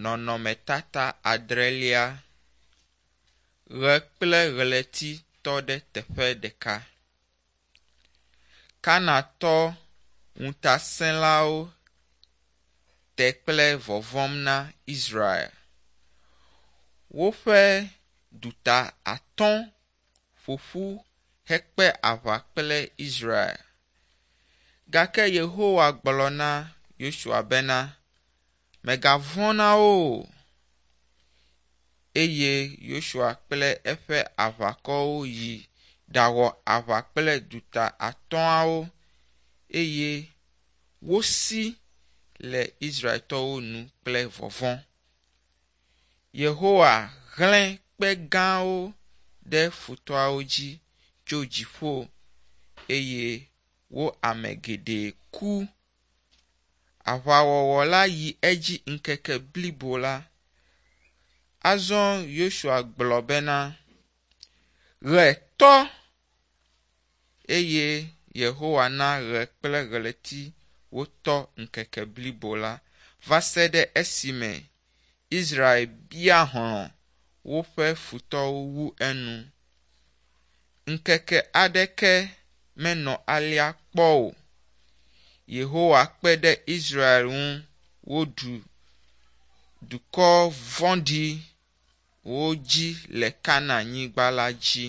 Nɔnɔmetata adrelia. Ʋe kple ʋleti tɔ ɖe teƒe ɖeka. Kanatɔ ŋutaselawo te kple vɔvɔm na Israel. Woƒe duta atɔ ƒoƒu hekpe aʋa kple Israel gake Yehowa gblɔ na Yosua bena, mègavɔ̃ na wo o. Eye Yosua kple eƒe aʋakɔwo yi ɖawɔ aʋa kple duta atɔ̃awo eye wosi le Israeltɔwo nu kple vɔvɔ̃. Yehowa hlẽ kpe gãwo ɖe futɔawo dzi tso dziƒo eye wo ame geɖe ku. Aʋawɔwɔ la yi edzi ŋkeke blibo la. Azɔ Yosua gblɔ bena, Ʋe tɔ! Eye Yehowa na ɣe kple ɣleti wotɔ ŋkeke blibo la va se ɖe esime Israel bia hlɔ̃ woƒe futɔwo wu enu. Ŋkeke aɖeke menɔ alea kpɔ o. Yehowa kpe ɖe Israel ŋu woɖu dukɔ vɔ̃ɖiwo dzi le Kananyigba la dzi.